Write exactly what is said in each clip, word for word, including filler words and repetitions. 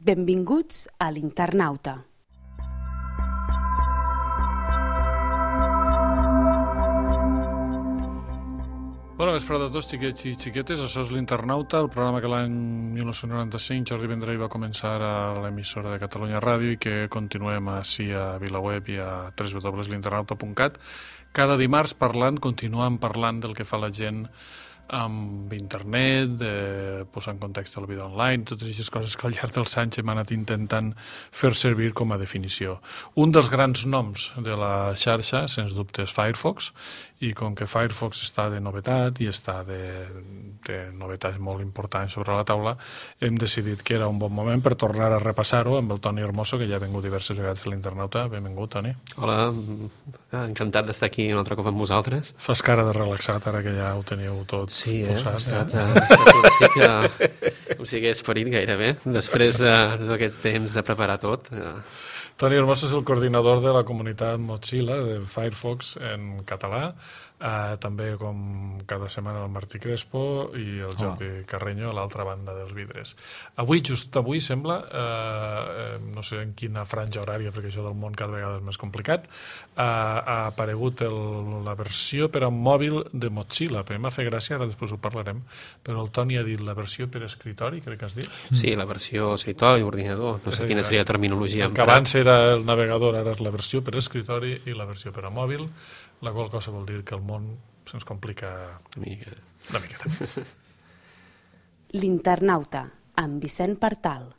Benvinguts a l'Internauta. Bona vesprada a tots, xiquets i xiquetes. Això és l'Internauta, el programa que l'any mil nou-cents noranta-cinc Jordi Vendrell va començar a l'emissora de Catalunya Ràdio i que continuem així a VilaWeb i a w w w punt l'internauta punt cat. Cada dimarts parlant, continuant parlant del que fa la gent amb internet, eh, posar en context la vida online, totes aquestes coses que al llarg dels anys hem anat intentant fer servir com a definició. Un dels grans noms de la xarxa, sens dubte, és Firefox, i com que Firefox està de novetat i està de, de novetats molt importants sobre la taula, hem decidit que era un bon moment per tornar a repassar-ho amb el Toni Hermoso, que ja ha vingut diverses vegades a l'Internauta. Benvingut, Toni. Hola, encantat d'estar aquí un altre cop amb vosaltres. Fas cara de relaxat ara que ja ho teniu tot sí, eh? posat. Sí, eh? ha estat un cicle, com si hagués parit gairebé, després d'aquest temps de preparar tot. Toni Hermoso és el coordinador de la comunitat Mozilla de Firefox en català, eh, també com cada setmana el Martí Crespo i el Jordi oh. Carreño a l'altra banda dels vidres. Avui, just avui, sembla, eh, no sé en quina franja horària, perquè això del món cada vegada és més complicat, eh, ha aparegut el, la versió per a mòbil de Mozilla. Però m'ha fet gràcia, ara després ho parlarem, però el Toni ha dit la versió per escritori, crec que has dit? Sí, la versió escritori, ordinador, no sé quina seria la terminologia. Que abans era el navegador, ara és la versió per escritori i la versió per a mòbil, la qual cosa vol dir que el món se'ns complica una mica. Una miqueta més. L'Internauta, amb Vicent Partal.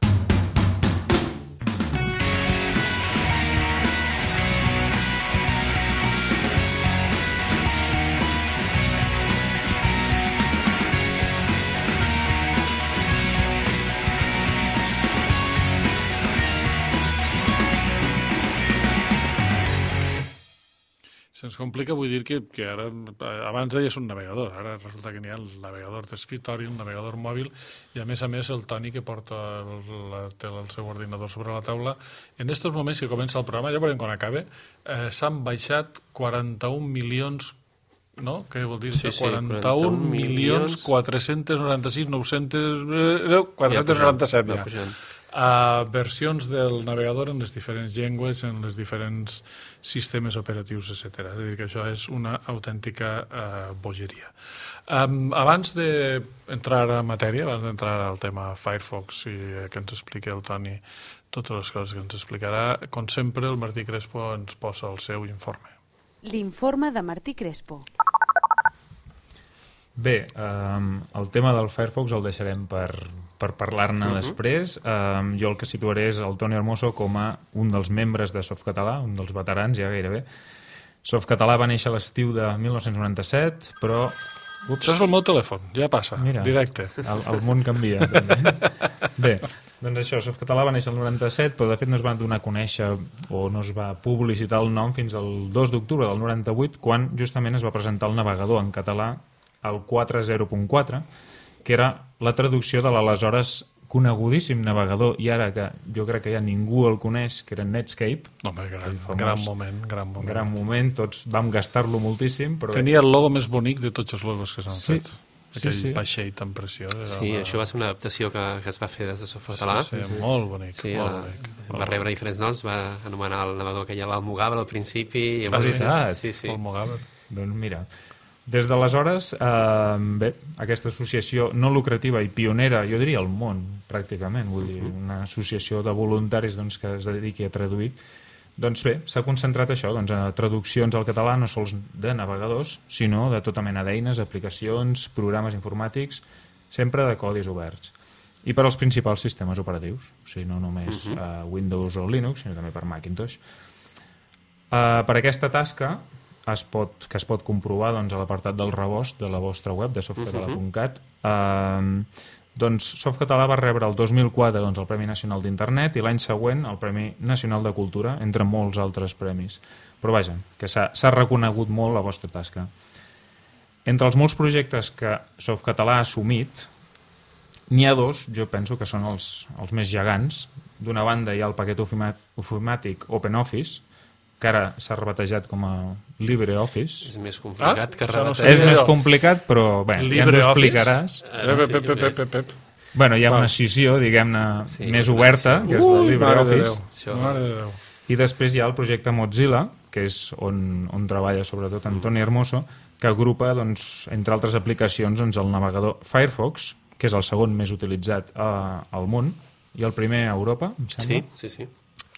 Se'ns complica, vull dir que, que ara, abans deies un navegador, ara resulta que n'hi ha el navegador d'escritori, el navegador mòbil, i a més a més el Toni que porta el, la, té el seu ordinador sobre la taula. En aquests moments que comença el programa, ja veurem quan acabe, eh, s'han baixat quaranta-un milions, no? Què vol dir? Sí, sí, quaranta-un milions quatre-cents noranta-sis mil nou-cents quatre-cents noranta-set ja. ja. Uh, versions del navegador en les diferents llengües, en les diferents sistemes operatius, etcètera. És a dir, que això és una autèntica uh, bogeria. Um, abans d'entrar a matèria, abans d'entrar al tema Firefox i que ens expliqui el Toni totes les coses que ens explicarà, com sempre el Martí Crespo ens posa el seu informe. L'informe de Martí Crespo. Bé, um, el tema del Firefox el deixarem per, per parlar-ne uh-huh. després. Um, jo el que situaré és el Toni Hermoso com a un dels membres de Softcatalà, un dels veterans ja gairebé. Softcatalà va néixer a l'estiu de mil nou-cents noranta-set, però... Ups. Això és el meu telèfon, ja passa, Mira, directe. El, el món canvia. Bé, doncs això, Softcatalà va néixer el noranta-set, però de fet no es va donar a conèixer o no es va publicitar el nom fins al dos d'octubre del noranta-vuit, quan justament es va presentar el navegador en català el quatre zero punt quatre, que era la traducció de l'aleshores conegudíssim navegador, i ara que jo crec que ja ningú el coneix, que era Netscape. Home, gran, gran moment, gran moment. Gran moment, tots vam gastar-lo moltíssim. Però... Tenia el logo més bonic de tots els logos que s'han sí, fet. Aquell sí, sí. vaixell tan preciós. Sí, una... això va ser una adaptació que, que es va fer des de Softcatalà. Sí, sí, sí, molt bonic. Sí, molt la, bonic va molt rebre diferents noms, va anomenar el navegador que ja l'Almogàver al principi. I ah, sí, sí, sí, sí. Almogàver. Doncs mira... Des d'aleshores, eh, bé, aquesta associació no lucrativa i pionera, jo diria al món, pràcticament, vull dir, una associació de voluntaris doncs, que es dediqui a traduir, doncs bé, s'ha concentrat això, doncs, a traduccions al català no sols de navegadors, sinó de tota mena d'eines, aplicacions, programes informàtics, sempre de codis oberts. I per als principals sistemes operatius, o sigui, no només uh-huh. uh, Windows o Linux, sinó també per Macintosh. Uh, per aquesta tasca... Es pot, que es pot comprovar doncs, a l'apartat del rebost de la vostra web de softcatalà punt cat. Uh-huh. eh, doncs Softcatalà va rebre el dos mil quatre doncs, el Premi Nacional d'Internet i l'any següent el Premi Nacional de Cultura, entre molts altres premis. Però vaja, que s'ha reconegut molt la vostra tasca. Entre els molts projectes que Softcatalà ha assumit, n'hi ha dos, jo penso que són els, els més gegants. D'una banda hi ha el paquet ofimàtic OpenOffice, que ara s'ha rebatejat com a LibreOffice. És més complicat ah, que rebatejar. No sé, és més complicat, però bé, ja ens ho explicaràs. Pep, pep, pep, pep, pep. Bueno, hi ha Val. una scissió, diguem-ne, Sí, més una oberta, scissió. que és el Ui, mare de LibreOffice. Això. Déu. Mare de Déu. I després hi ha el projecte Mozilla, que és on, on treballa sobretot Antoni Hermoso, que agrupa, doncs, entre altres aplicacions, doncs, el navegador Firefox, que és el segon més utilitzat a, al món, i el primer a Europa, em sembla. Sí, sí, sí.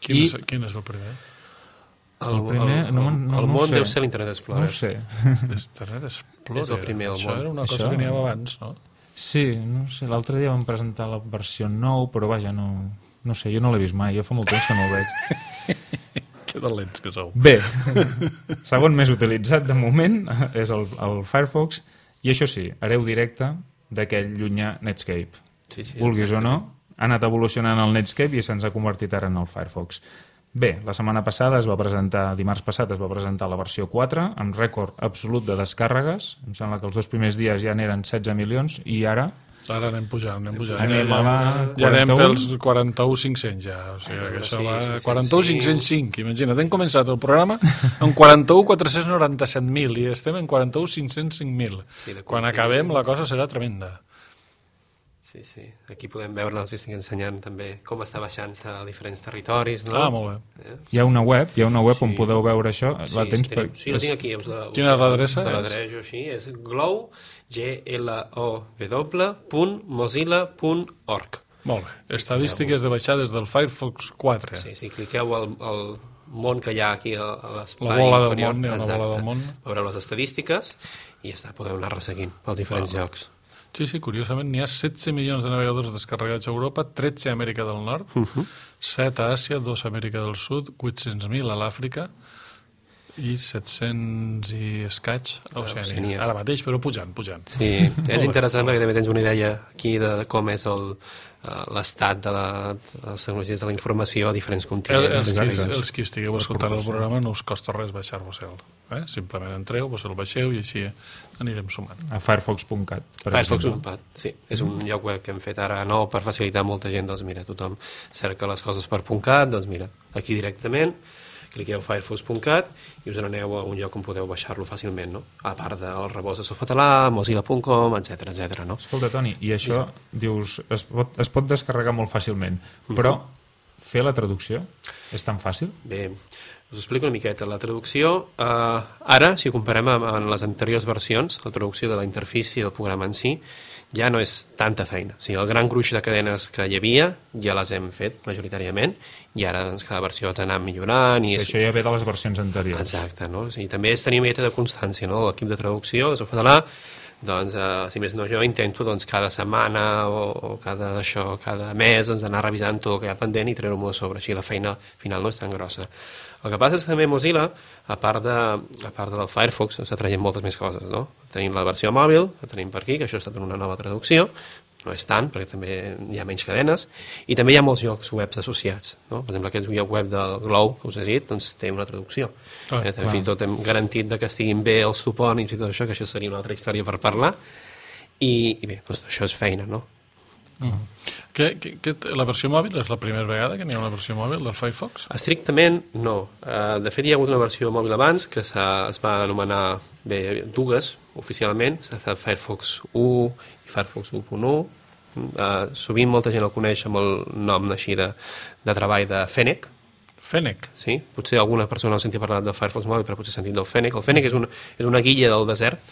Quin, I- és, quin és el primer? El, El primer, el, no, el, no, el no ho món sé. deu ser l'Internet Explorer. No ho sé. Internet Explorer. És el primer al Això món. era una cosa Això? que n'hi havia abans, no? Sí, no sé, l'altre dia vam presentar la versió nou, però vaja, no, no sé, jo no l'he vist mai, jo fa molt temps que no el veig. Que dolents que sou. Bé, segon més utilitzat de moment és el, el Firefox, i això sí, hereu directe d'aquell llunyà Netscape. Sí, sí, Vulguis o exactament. no, ha anat evolucionant el Netscape i se'ns ha convertit ara en el Firefox. Bé, la setmana passada es va presentar, dimarts passat es va presentar la versió quatre, amb rècord absolut de descàrregues. Em sembla que els dos primers dies ja n'eren setze milions, i ara Ara anem pujant, anem pujant. anem ja, a la ja anem quaranta-u. pels quaranta-u mil cinc-cents ja, o sigui que això Sí, va... cinc-cents quaranta-u mil cinc. cinc-cents cinc, imagina't, hem començat el programa amb quaranta-u mil quatre-cents noranta-set mil i estem en quaranta-u mil cinc-cents cinc mil. Sí, de Quan continguts. acabem la cosa serà tremenda. Sí, sí. Aquí podem veure, els estic ensenyant també com està baixant-se a diferents territoris, no? Ah, molt bé. Eh? hi ha una web, hi ha una web on Sí. podeu veure això. La Sí, tens sí, per... tenim- sí, la tinc aquí. Us la, us Quina és l'adreça? Te l'adreço així. És glow, G L O W, punt mozilla punt org. Molt bé. Estadístiques de baixades del Firefox quatre. Sí, si cliqueu al, al món que hi ha aquí a, a l'espai La bola del inferior, món, hi ha una bola exacte, del món. veureu les estadístiques i ja està, podeu anar resseguint pels diferents llocs. Sí, sí, curiosament n'hi ha setze milions de navegadors descarregats a Europa, tretze a Amèrica del Nord, Uh -huh. set a Àsia, dos a Amèrica del Sud, vuit-cents mil a l'Àfrica i set-cents i escaig a Oceania. Oceania. Ara mateix, però pujant, pujant. Sí, és interessant perquè també tens una idea aquí de, de com és el, eh, l'estat de, la, de les tecnologies de la informació a diferents El, continents. els, qui, Exacte. els qui estigueu escoltant el programa no us costa res baixar-vos-el. Eh? Simplement entreu, vos el baixeu i així anirem sumant. a firefox punt cat, per Firefox exemple. punt cat, sí. És un lloc web que hem fet ara nou per facilitar a molta gent. Doncs mira, tothom cerca les coses per .cat, doncs mira, aquí directament, cliqueu firefox punt cat i us n'aneu a un lloc on podeu baixar-lo fàcilment, no? A part del rebost de Softcatalà, mozilla punt com, etcètera, etcètera, no? Escolta, Toni, i això, dius, es pot, es pot descarregar molt fàcilment, però fer la traducció és tan fàcil? Bé, us explico una miqueta. La traducció, eh, ara, si ho comparem amb, amb les anteriors versions, la traducció de la interfície del programa en si, ja no és tanta feina. O sigui, el gran gruix de cadenes que hi havia ja les hem fet majoritàriament i ara doncs, cada versió has d'anar millorant. I Sí, és... això ja ve de les versions anteriors. Exacte, no? O sigui, també és tenir una miqueta de constància, no? L'equip de traducció de Softcatalà, doncs, eh, si més no, jo intento doncs, cada setmana o, o cada, això, cada mes doncs, anar revisant tot el que hi ha pendent i treure-m'ho a sobre, així la feina final no és tan grossa. El que passa és que també Mozilla, a part, de, a part del Firefox, està traient moltes més coses, no? Tenim la versió mòbil, que tenim per aquí, que això ha estat una nova traducció, no és tant, perquè també hi ha menys cadenes, i també hi ha molts llocs webs associats, no? Per exemple, aquest lloc web del Glow, que us he dit, doncs té una traducció. Ah, eh, també, fins i tot hem garantit de que estiguin bé els topònims i tot això, que això seria una altra història per parlar, i, i bé, doncs això és feina, no? Que, que, que, la versió mòbil és la primera vegada que n'hi ha una versió mòbil del Firefox? Estrictament, no. Uh, de fet, hi ha hagut una versió mòbil abans que es va anomenar, bé, dues, oficialment, s'ha estat Firefox u i Firefox u punt u. Uh, sovint molta gent el coneix amb el nom així de, de treball de Fennec, Fennec. sí? Potser alguna persona no ha sentit parlar del Firefox mòbil, però potser ha sentit del Fennec. El Fennec és una, és una guilla del desert,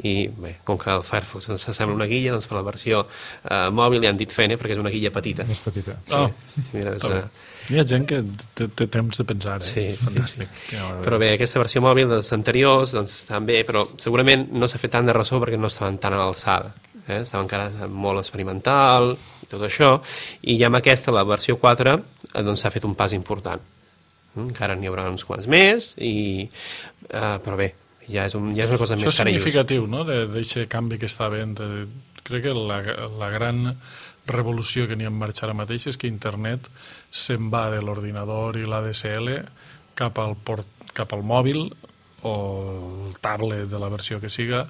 i bé, com que el Firefox ens sembla una guilla, doncs per la versió eh, mòbil li han dit Fennec perquè és una guilla petita. Més petita. Oh, Sí, mira, és, està bé. eh, Hi ha gent que té, té temps de pensar, eh? Sí, sí, Fantàstic. Sí, sí. Però bé, aquesta versió mòbil dels anteriors doncs, estan bé, però segurament no s'ha fet tant de ressò perquè no estaven tan a l'alçada. Eh? Estava encara molt experimental i tot això, i ja amb aquesta, la versió quatre, eh, doncs s'ha fet un pas important. Mm, encara n'hi haurà uns quants més, i, eh, però bé, ja és, un, ja és una cosa Això més és cara i just. significatiu, no?, d'aquest canvi que està havent. Eh, crec que la, la gran revolució que n'hi ha en marxa ara mateix és que internet se'n va de l'ordinador i l'A D S L cap al, port, cap al mòbil o el tablet de la versió que siga,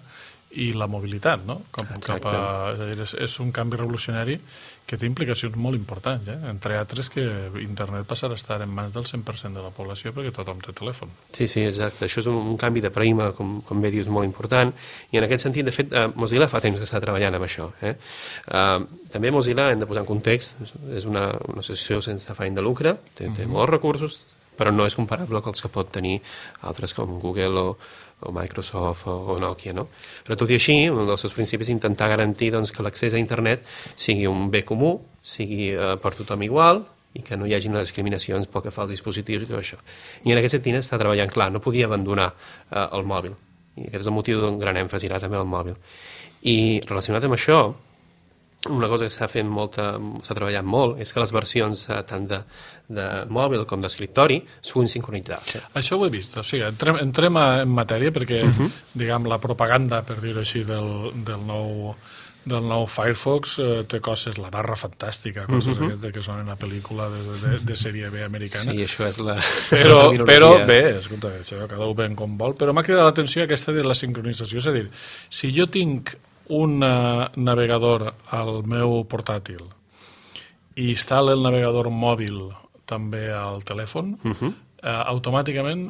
i la mobilitat, no? Com, cap a, és, a dir, és, és un canvi revolucionari que té implicacions molt importants, eh? Entre altres que internet passarà a estar en mans del cent per cent de la població perquè tothom té telèfon. Sí, sí, exacte. Això és un, un canvi de paradigma, com, com bé dius, molt important, i en aquest sentit, de fet, eh, Mozilla fa temps que està treballant amb això. Eh? Eh, també Mozilla, hem de posar en context, és una, una associació sense afany de lucre, té, té uh-huh. molts recursos, però no és comparable amb els que pot tenir altres com Google o, o Microsoft o, o Nokia, no? Però tot i així, un dels seus principis és intentar garantir doncs, que l'accés a internet sigui un bé comú, sigui eh, per tothom igual, i que no hi hagi unes discriminacions pel que fa als dispositius i tot això. I en aquest sentit està treballant, clar, no podia abandonar eh, el mòbil, i aquest és el motiu d'un gran èmfasi ara també al mòbil. I relacionat amb això, una cosa que s'ha fet molta, s'ha treballat molt és que les versions eh, tant de, de mòbil com d'escriptori es puguin sincronitzar. Això ho he vist, o sigui, entrem, entrem en matèria perquè, uh-huh. diguem, la propaganda, per dir-ho així, del, del nou del nou Firefox eh, té coses, la barra fantàstica, coses uh-huh. aquestes que són en la pel·lícula de, de, de sèrie B americana. Sí, això és la... Però, però bé, escolta, això cada un ben com vol, però m'ha cridat l'atenció aquesta de la sincronització, és a dir, si jo tinc un uh, navegador al meu portàtil i instal·la el navegador mòbil també al telèfon, uh-huh. uh, automàticament,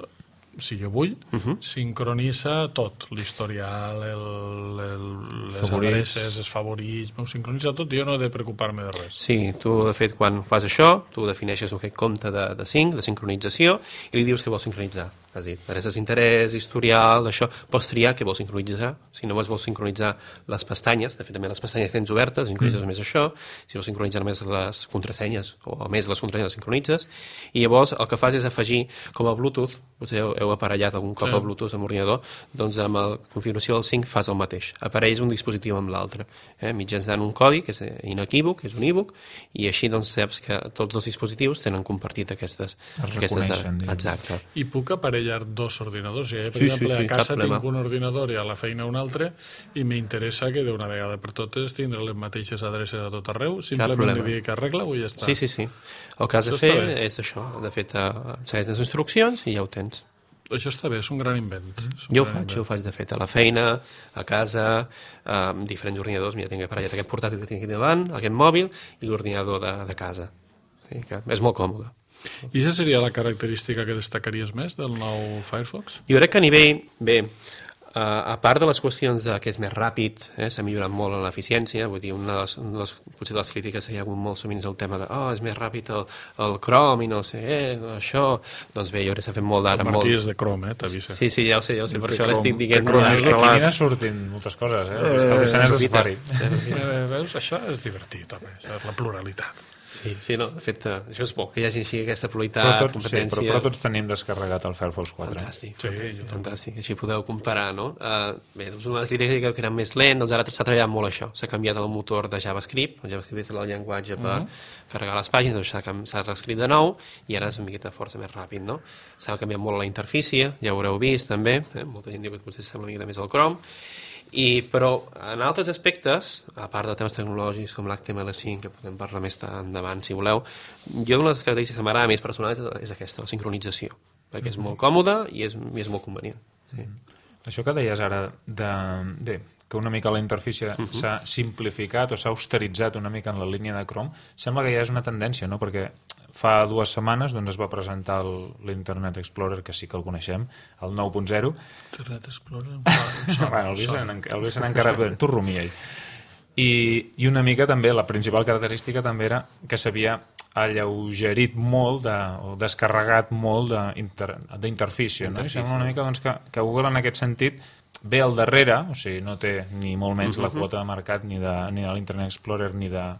si jo vull, uh-huh. sincronitza tot, l'historial, el, el, les favorits. Adreces, els favorits, m'ho sincronitza tot i jo no he de preocupar-me de res. Sí, tu, de fet, quan fas això, tu defineixes aquest compte de, de sync, de sincronització, i li dius que vols sincronitzar. És a dir, adreces d'interès, historial, això, pots triar què vols sincronitzar. Si només vols sincronitzar les pestanyes, de fet també les pestanyes tens obertes, sincronitzes mm. més això, si vols sincronitzar només les contrasenyes, o més les contrasenyes les sincronitzes, i llavors el que fas és afegir com a Bluetooth, potser heu, heu aparellat algun cop sí. a Bluetooth amb l'ordinador, doncs amb la configuració del sync fas el mateix, apareix un dispositiu amb l'altre, eh? mitjançant un codi que és inequívoc, és un e-book, i així doncs saps que tots els dispositius tenen compartit aquestes... Es aquestes reconeixen. Exacte. I puc aparellar dos ordinadors. Eh? Per sí, exemple, sí, sí, a casa tinc un ordinador i a la feina un altre i m'interessa que d'una vegada per totes tindre les mateixes adreces a tot arreu, simplement li dic arregla-ho i ja està. Sí, sí, sí. El que has de fer és això, de fet, segueix les instruccions i ja ho tens. Això està bé, és un gran invent. Un jo ho faig, jo ho faig de fet, a la feina, a casa, amb diferents ordinadors, ja tinc aparellat aquest portàtil que tinc aquí davant, aquest mòbil i l'ordinador de, de casa. Sí, que és molt còmode. I aquesta seria la característica que destacaries més del nou Firefox? Jo crec que a nivell, bé, uh, a part de les qüestions de que és més ràpid, eh, s'ha millorat molt en l'eficiència, vull dir, una de les, una de les, potser de les crítiques que hi ha hagut molt sovint és el tema de oh, és més ràpid el, el Chrome i no sé, eh, això, doncs bé, jo crec que s'ha fet molt d'ara. El Martí molt... és de Chrome, eh, t'avisa. Sí, sí, ja ho sé, ja ho sé, per això l'estic dient. Aquí n'hi sortint moltes coses, eh? El disseny és de Safari. Veus, això és divertit, també, això és la pluralitat. Sí, sí, no, de fet, això és bo, que hi hagi així aquesta pluralitat, però tot, competència... Sí, però, però tots tenim descarregat el Firefox quatre. Fantàstic, sí, fantàstic, fantàstic, així podeu comparar, no? Uh, bé, doncs una de les crítiques que era més lent, doncs ara s'ha treballat molt això, s'ha canviat el motor de JavaScript, el JavaScript és el llenguatge per uh-huh. carregar les pàgines, doncs s'ha reescrit de nou i ara és una miqueta força més ràpid, no? S'ha canviat molt la interfície, ja ho haureu vist també, eh? Molta gent diu que potser sembla una miqueta més al Chrome, I, però en altres aspectes, a part de temes tecnològics com l'H T M L cinc, que podem parlar més endavant si voleu, jo una de les característiques que m'agrada més personal és, és aquesta, la sincronització, perquè és molt còmode i és, i és molt convenient. Sí. Això que deies ara, de, bé, que una mica la interfície uh-huh. s'ha simplificat o s'ha austeritzat una mica en la línia de Chrome, sembla que ja és una tendència, no? Perquè fa dues setmanes doncs, es va presentar l'Internet Explorer, que sí que el coneixem, el nou punt zero. Internet Explorer? Bueno, el Vicent encara... Tu rumia-hi. I, I una mica també, la principal característica també era que s'havia alleugerit molt de, o descarregat molt d'interfície. No? I sembla una mica doncs, que, que Google en aquest sentit ve al darrere, o sigui, no té ni molt menys uh-huh. la quota de mercat ni de, ni de l'Internet Explorer ni, de,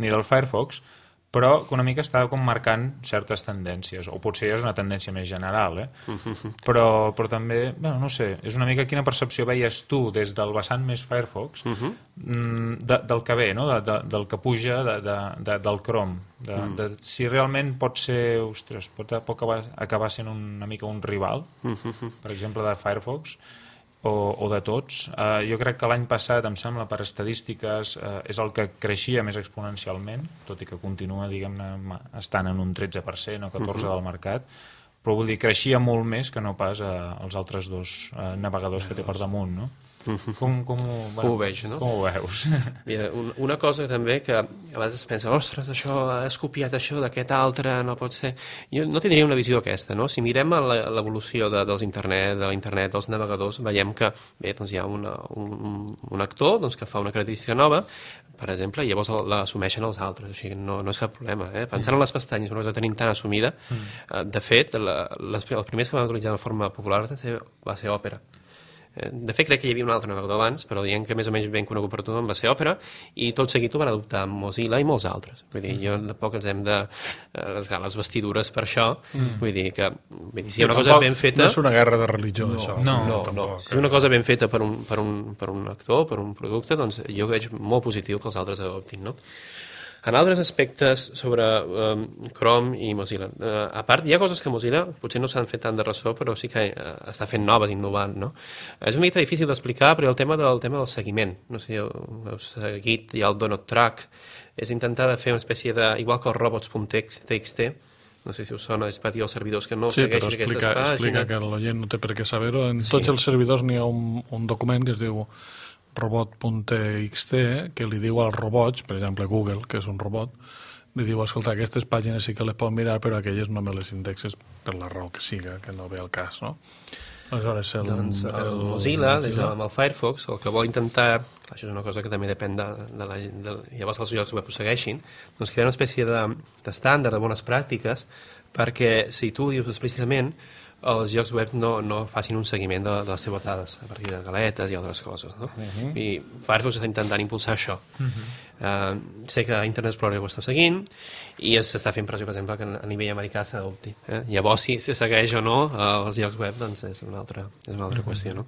ni del Firefox, però que una mica està com marcant certes tendències, o potser és una tendència més general, eh? Uh-huh. però, però també, bueno, no sé, és una mica quina percepció veies tu des del vessant més Firefox uh-huh. de, del que ve, no? de, de, del que puja de, de, de, del Chrome, de, uh-huh. de, si realment pot ser, ostres, pot, pot acabar, acabar sent una mica un rival, uh-huh. per exemple, de Firefox, o, o de tots. Uh, jo crec que l'any passat, em sembla, per estadístiques, uh, és el que creixia més exponencialment, tot i que continua, diguem-ne, estant en un tretze per cent o catorze per cent uh-huh. del mercat, però vull dir, creixia molt més que no pas uh, els altres dos uh, navegadors que té per damunt, no? Com, com, ho, bueno, Com ho veig, no? Com ho veus? Mira, un, una cosa també que a vegades es pensa, ostres, això, has copiat això d'aquest altre, no pot ser... Jo no tindria una visió aquesta, no? Si mirem l'evolució de, dels internet, de l'internet, dels navegadors, veiem que bé, doncs hi ha una, un, un actor doncs, que fa una característica nova, per exemple, i llavors l'assumeixen els altres, o sigui, no, no és cap problema. Eh? Pensant en les pestanyes, una cosa que tenim tan assumida, eh, de fet, la, les, els primers que van utilitzar de forma popular va ser, va ser Opera. De fet, crec que hi havia un altre navegador abans, però dient que més o menys ben conegut per tothom va ser Opera, i tot seguit ho van adoptar Mozilla i molts altres. Vull dir, jo tampoc ens hem de rasgar les vestidures per això, mm. vull dir que vull dir, si hi ha una cosa ben feta... No és una guerra de religió, no, això. No, no, tampoc, no. Si és una cosa ben feta per un, per, un, per un actor, per un producte, doncs jo veig molt positiu que els altres adoptin, no? En altres aspectes sobre um, Chrome i Mozilla, uh, a part, hi ha coses que Mozilla potser no s'han fet tant de ressò, però sí que uh, està fent noves, innovant, no? És una mica difícil d'explicar, però el tema del tema del seguiment, no sé si heu seguit, hi ha el Donut Track, és intentar fer una espècie de, igual que els robots punt t x t, no sé si us sona, és per dir als servidors que no sí, segueixin aquestes explica, pàgines. explica que l'oient no té per què saber-ho. En sí. tots els servidors n'hi ha un, un document que es diu robot punt t x t, que li diu als robots, per exemple Google, que és un robot, li diu, escolta, aquestes pàgines sí que les pot mirar, però aquelles no me les indexes per la raó que siga, que no ve al cas, no? Aleshores, el, doncs el, el Mozilla, des de, amb el Firefox, el que vol intentar, això és una cosa que també depèn de, de la de, llavors els llocs web ho segueixin, doncs crear una espècie d'estàndard, de, de bones pràctiques, perquè si tu dius explícitament, els llocs web no, no facin un seguiment de, de les teves dades a partir de galetes i altres coses, no? Uh -huh. I Firefox està intentant impulsar això. Uh -huh. uh, sé que Internet Explorer ho està seguint i s'està fent pressió, per exemple, que a nivell americà s'adopti. Eh? Llavors, si se segueix o no uh, els llocs web, doncs és una altra, és una altra uh -huh. qüestió, no?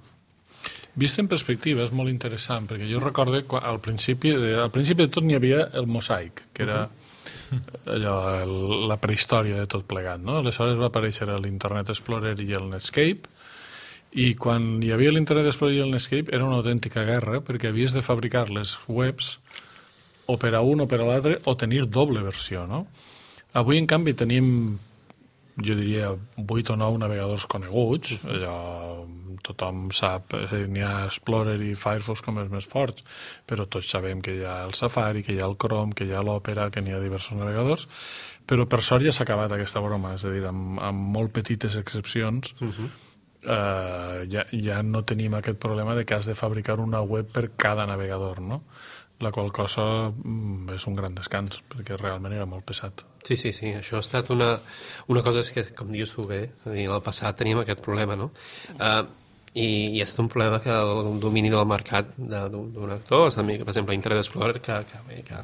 Vist en perspectiva és molt interessant, perquè jo recordo que al principi, al principi de tot n'hi havia el Mosaic, que era... Uh -huh. allò, el, la prehistòria de tot plegat, no? Aleshores va aparèixer l'Internet Explorer i el Netscape, i quan hi havia l'Internet Explorer i el Netscape era una autèntica guerra, perquè havies de fabricar les webs o per a un o per a l'altre, o tenir doble versió, no? Avui, en canvi, tenim, jo diria, vuit o nou navegadors coneguts, allò, tothom sap, n'hi ha Explorer i Firefox com els més forts, però tots sabem que hi ha el Safari, que hi ha el Chrome, que hi ha l'Opera, que n'hi ha diversos navegadors, però per sort ja s'ha acabat aquesta broma, és a dir, amb, amb molt petites excepcions, uh -huh. eh, ja, ja no tenim aquest problema de que has de fabricar una web per cada navegador, no? La qual cosa mm, és un gran descans, perquè realment era molt pesat. Sí, sí, sí, això ha estat una, una cosa que, com dius tu bé, en el passat teníem aquest problema, no? Uh, i, i ha estat un problema que el domini del mercat d'un actor, per exemple, Internet Explorer, que, que, que,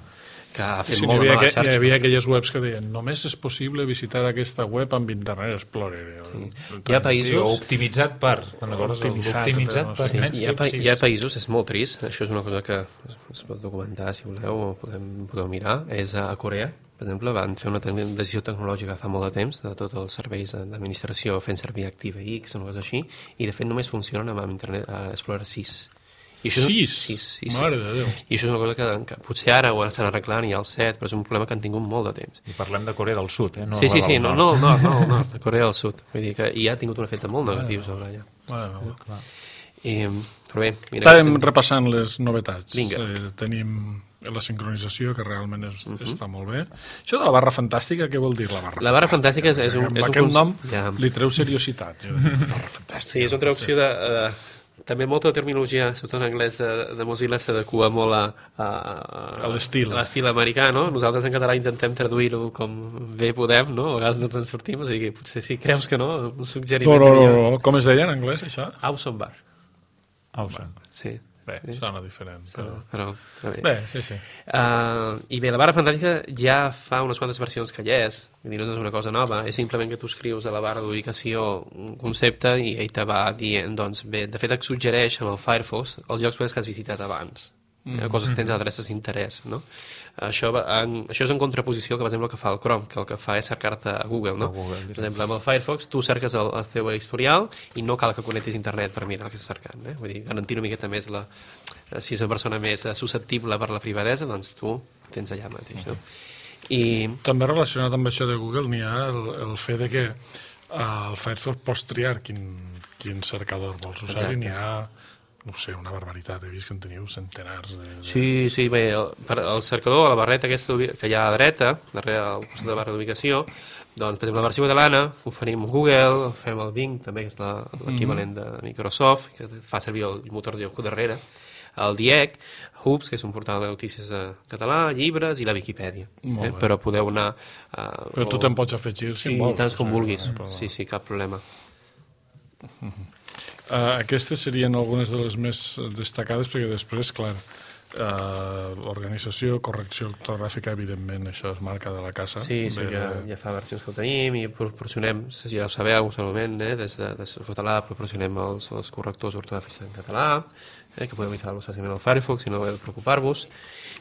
que ha fet sí, molt de mala xarxa. Hi havia aquelles webs que deien només és possible visitar aquesta web amb Internet Explorer. Sí. Hi ha països... Sí, optimitzat per... Optimitzat, optimitzat per sí. Hi, ha, hi ha països, és molt trist, això és una cosa que es, es pot documentar, si voleu, o podem, podeu mirar, és a Corea, per exemple, van fer una decisió tecnològica fa molt de temps, de tots els serveis d'administració fent servir ActiveX o una cosa així, i de fet només funcionen amb Internet Explorer sis. I això sis? sis, sis, Mare de Déu. I això és una cosa que, que potser ara ho estan arreglant, hi ha el set, però és un problema que han tingut molt de temps. I parlem de Corea del Sud, eh? No sí, sí, sí, no, no, no, no, no, de Corea del Sud. Vull dir que hi ha tingut un efecte molt negatiu sobre allà. Bueno, clar. I, però bé, mira... Estàvem que... repassant les novetats. Vinga. Eh, tenim la sincronització, que realment és, uh -huh. està molt bé. Això de la barra fantàstica, què vol dir la barra La barra fantàstica, fantàstica és, és un... Amb és aquest un nom ja. li treu seriositat. Barra fantàstica. Sí, és una traducció de... Uh, també molta terminologia, sobretot en anglès, de, de Mozilla s'adequa molt a, a, a l'estil a l'estil americà, no? Nosaltres en català intentem traduir-ho com bé podem, no? A vegades no ens sortim, o sigui, potser si creus que no, un suggeriment... No, no, no, no. Com es deia en anglès, això? Awesome Bar. Awesome. Sí. Bé, sí. Sona diferent. Però... però, però bé. bé, sí, sí. Uh, I bé, la barra fantàstica ja fa unes quantes versions que hi és, vull dir, no és una cosa nova, és simplement que tu escrius a la barra d'ubicació un concepte i ell te va dient, doncs bé, de fet et suggereix en el Firefox els llocs web que has visitat abans, mm -hmm. coses que tens adreces d'interès, no? Això, va en, això és en contraposició que, per exemple, el que fa el Chrome, que el que fa és cercar-te a Google, no? Google, per exemple, amb el Firefox tu cerques el, el teu historial i no cal que connectis internet per mirar el que estàs cercant, eh? Vull dir, garantir una miqueta més la... Si és una persona més susceptible per la privadesa, doncs tu tens allà mateix, no? I... També relacionat amb això de Google n'hi ha el, el fet de que al Firefox pots triar quin, quin cercador vols usar. Exacte. I n'hi ha no sé, una barbaritat, he vist que en teniu centenars de... de... Sí, sí, bé, el, per, el cercador, la barreta aquesta que hi ha a la dreta, darrere al costat de la barra d'ubicació, doncs, per exemple, la versió catalana oferim Google, fem el Bing, també, que és l'equivalent de Microsoft, que fa servir el motor de Yahoo darrere, el D I E C, Hoops, que és un portal de notícies català, llibres i la Viquipèdia. Eh? Però podeu anar... Uh, Però tu te'n pots afegir si sí, vols. Sí, tants com vulguis. Però... Sí, sí, cap problema. Uh, aquestes serien algunes de les més destacades, perquè després, clar, uh, l'organització, correcció ortogràfica, evidentment, això és marca de la casa. Sí, sí, Bé, ja, ja fa versions que ho tenim i proporcionem, ja ho sabeu, segurament, eh, des de, des de Sotalà proporcionem els, els correctors ortogràfics en català, eh, que podeu instal·lar-los fàcilment al Firefox, si no heu de preocupar-vos.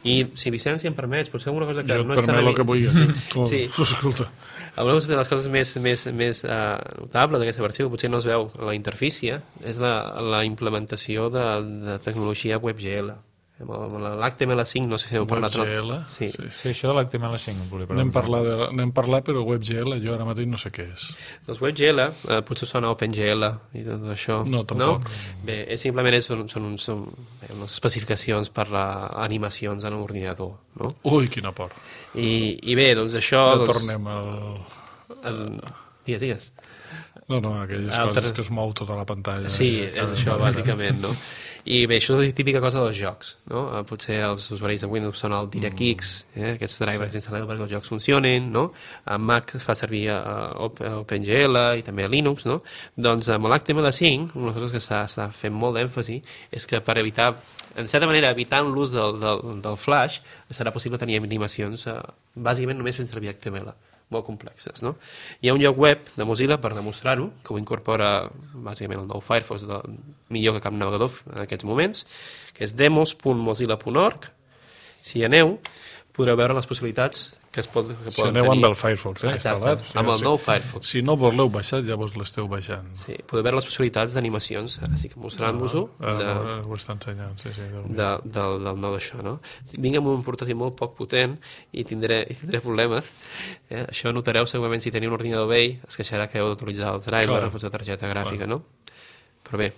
I si Vicent, si em permets, potser alguna cosa que jo no et és tan... permet el que vulguis. Tu, sí. Escolta. Alguna de les coses més, més, més uh, notables d'aquesta versió, que potser no es veu a la interfície, és la, la implementació de, de tecnologia WebGL. L'H T M L cinc, no sé si heu parlat. WebGL? Sí. Sí. Sí, això de l'H T M L cinc. N'hem parlat, de, parlat, però WebGL jo ara mateix no sé què és. Doncs WebGL, eh, potser sona OpenGL i tot això. No, tampoc. No? Bé, és, simplement és, són, són, són bé, unes especificacions per a animacions en un ordinador. No? Ui, quina por. I, i bé, doncs això... Ja doncs, tornem al... El... Digues, digues. No, no, aquelles Altres... coses que es mou tota la pantalla. Sí, és això, bàsicament, no? I bé, això és la típica cosa dels jocs, no? Potser els usuaris de Windows són el DirectX, eh? Aquests drivers sí. Instal·leu perquè els jocs funcionin, no? A Mac es fa servir a OpenGL i també a Linux, no? Doncs amb l'H T M L cinc, una cosa que s'està fent molt d'èmfasi és que per evitar, en certa manera, evitant l'ús del, del, del Flash, serà possible tenir animacions eh, bàsicament només fent servir H T M L. Molt complexes, no? Hi ha un lloc web de Mozilla per demostrar-ho, que ho incorpora bàsicament el nou Firefox, de, millor que cap navegador en aquests moments, que és demos punt mozilla punt org. Si hi aneu, podreu veure les possibilitats que es pot, que si poden aneu tenir. amb el Firefox, eh, instal·lat. Exacte, amb el nou Firefox. Si no vos l'heu baixat, ja vos l'esteu baixant. Sí, podeu veure les possibilitats d'animacions, ara sí que mostrant-vos-ho, Ah, de, ah, ho està ensenyant, sí, sí. de, del, del nou d'això, no? Vinc amb un portàtil molt poc potent i tindré, i tindré problemes. Eh? Això notareu segurament si teniu un ordinador vell, es queixarà que heu d'utilitzar el driver o la targeta gràfica, Clar. no? Però bé,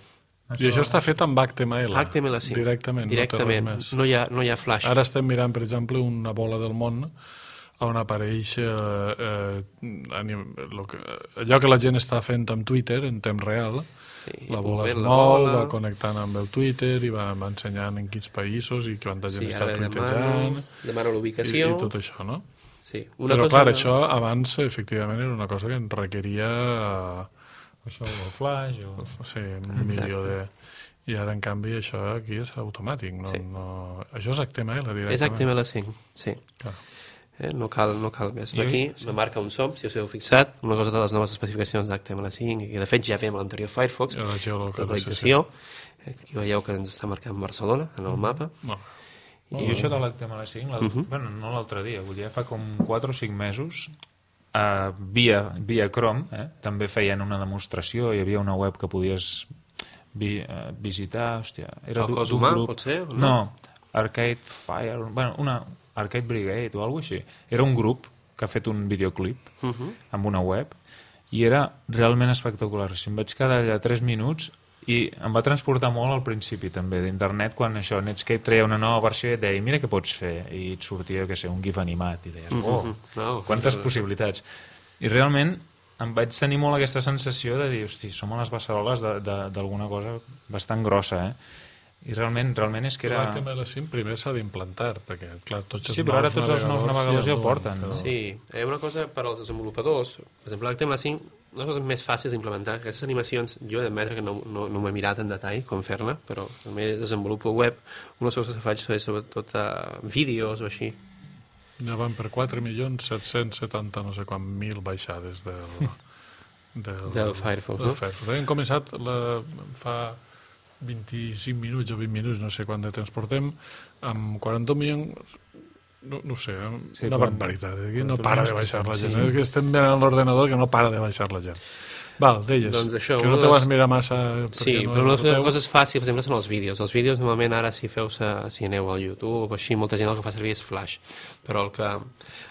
I això està fet amb H T M L. H T M L cinc. Directament. Directament, no, no, hi ha, no hi ha flash. Ara estem mirant, per exemple, una bola del món on apareix eh, eh, anim, lo que, allò que la gent està fent amb Twitter en temps real. Sí, La bola es la mou, bola. va connectant amb el Twitter i va, va ensenyant en quins països i quanta gent Sí, està ara tuitejant demano, demano i, l'ubicació. i tot això, no? Sí. Una Però cosa... clar, això abans efectivament era una cosa que en requeria eh, Això, el Flash... O... sí, un milió de... I ara, en canvi, això aquí és automàtic. No, Sí. no... Això és H T M L directament. És H T M L cinc, sí. Clar. Eh? No, cal, no cal més. I- Aquí me marca on som, si us heu fixat, una cosa de les noves especificacions d'H T M L cinc, que de fet ja fèiem a l'anterior Firefox, I la localització, eh, que aquí veieu que ens està marcant Barcelona en el mapa. No. I això de l'H T M L cinc, la... Uh -huh. bueno, no l'altre dia, vull dir, fa com quatre o cinc mesos, uh, via, via Chrome, eh, també feien una demostració, hi havia una web que podies vi, uh, visitar, hòstia... Era El d'un- cos d'un humà, grup. pot ser, o no? No, Arcade Fire, bueno, una Arcade Brigade o alguna cosa així. Era un grup que ha fet un videoclip Uh -huh. amb una web i era realment espectacular. Si em vaig quedar allà tres minuts i em va transportar molt al principi també d'internet, quan això Netscape treia una nova versió i et deia, mira què pots fer, i et sortia, que sé, un gif animat i deies, oh, Mhm. No, quantes no. possibilitats. I realment em vaig tenir molt aquesta sensació de dir, hosti, som a les beceroles de- de- d'alguna cosa bastant grossa, eh? I realment, realment és que era... L'H T M L cinc primer s'ha d'implantar, perquè, clar, tots els Sí, però ara nous tots els nous navegadors ja ho no, porten. però- Sí, hi ha una cosa per als desenvolupadors, per exemple, l'H T M L cinc, una cosa més fàcil d'implementar, aquestes animacions, jo he d'admetre que no, no, no m'he mirat en detall com fer-ne, però també desenvolupo web, una cosa que faig és sobretot uh, vídeos o així. Ja van per quatre milions set-cents setanta no sé quant mil baixades del, del, Del Firefox, del no? Firefox. Hem començat la, fa vint-i-cinc minuts o vint minuts, no sé quant de temps portem, amb quaranta milions, no, no ho sé, Sí, una quan- barbaritat. Aquí no quan para de tornem baixar la sí, gent. sí. És que estem mirant l'ordenador que no para de baixar la gent. Val, deies, Doncs això, que una no de te les- vas mirar massa... Sí, perquè no però una de les noteu. coses fàcils, per exemple, són els vídeos. Els vídeos, normalment, ara, si feu si aneu al YouTube o així, molta gent el que fa servir és Flash. Però el que,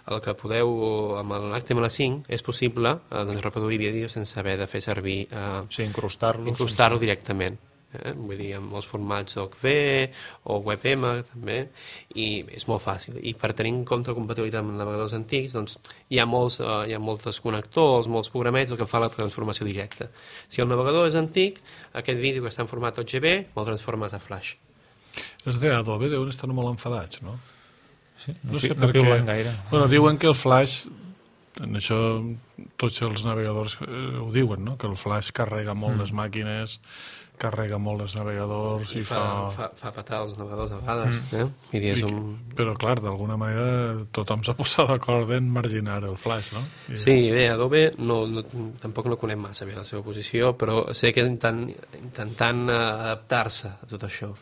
el que podeu, amb l'H T M L cinc, és possible eh, doncs, reproduir vídeos sense haver de fer servir... Eh, Sí, incrustar-los. incrustar-lo directament. eh? Vull dir, amb els formats O C V o WebM també, i és molt fàcil. I per tenir en compte la compatibilitat amb navegadors antics, doncs hi ha molts, uh, hi ha molts connectors, molts programets, el que fa la transformació directa. Si el navegador és antic, aquest vídeo que està en format O G B, el transformes a Flash. Els d'Adobe deuen estar molt enfadats, no? Sí, no, No sé no per què. piulen gaire. Bueno, diuen que el Flash, en això tots els navegadors eh, ho diuen, no? Que el Flash carrega molt mm. les màquines, carrega molt els navegadors i, I fa, fa... fa, fa patar els navegadors a vegades, mm. eh? I és I, un... Però, clar, d'alguna manera tothom s'ha posat d'acord en marginar el Flash, no? I... Sí, bé, Adobe no, no, tampoc no conec massa bé la seva posició, però sé que intentant, intentant adaptar-se a tot això.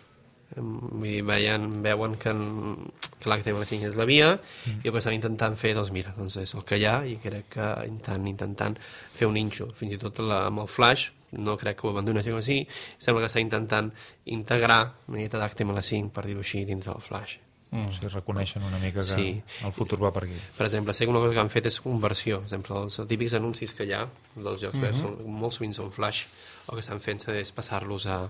Vull dir, veien, veuen que, en, que l'H T M L cinc és la via mm. i el que estan intentant fer, doncs mira, doncs és el que hi ha, i crec que intentant, intentant fer un nínxol, fins i tot la, amb el Flash no crec que ho abandoni així, sembla que està intentant integrar una mica d'H T M L cinc, per dir-ho així, dintre del Flash. Mm. O sigui, reconeixen una mica que sí. el futur va per aquí. Per exemple, sé que una cosa que han fet és conversió. Per exemple, els típics anuncis que hi ha dels jocs web, mm-hmm. són, molt sovint són Flash, el que estan fent és passar-los a...